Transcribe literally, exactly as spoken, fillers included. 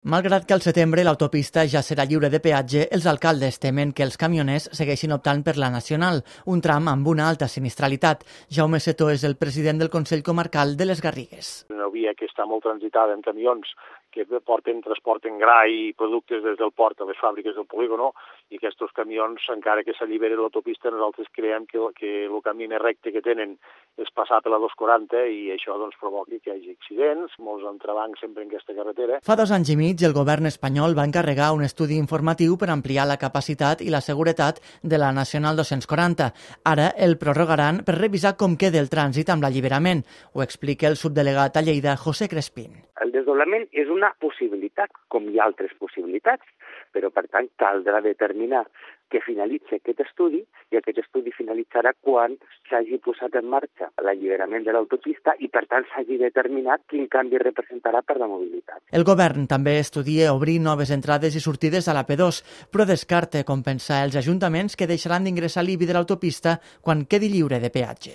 Malgrat que al setembre l'autopista ja serà lliure de peatge, els alcaldes temen que els camioners segueixin optant per la nacional, un tram amb una alta sinistralitat. Jaume Setó és el president del Consell Comarcal de les Garrigues. Una via que està molt transitada en camions que porten, transporten gra i productes des del port a les fàbriques del polígono, i aquests camions, encara que s'alliberi l'autopista, nosaltres creiem que, que el camí més recte que tenen és passar per la dos quaranta i això doncs, provoqui que hi hagi accidents, molts entrebancs sempre en aquesta carretera. Fa dos anys i mig el govern espanyol va encarregar un estudi informatiu per ampliar la capacitat i la seguretat de la Nacional dos-cents quaranta. Ara el prorrogaran per revisar com queda el trànsit amb l'alliberament. Ho explica el subdelegat a Lleida, José Crespín. El desdoblament és una possibilitat, com hi ha altres possibilitats, però per tant caldrà determinar que finalitzi aquest estudi i aquest estudi finalitzarà quan s'hagi posat en marxa l'alliberament de l'autopista i per tant s'hagi determinat quin canvi representarà per la mobilitat. El govern també estudia obrir noves entrades i sortides a la P dos, però descarta compensar els ajuntaments que deixaran d'ingressar l'I B I de l'autopista quan quedi lliure de peatge.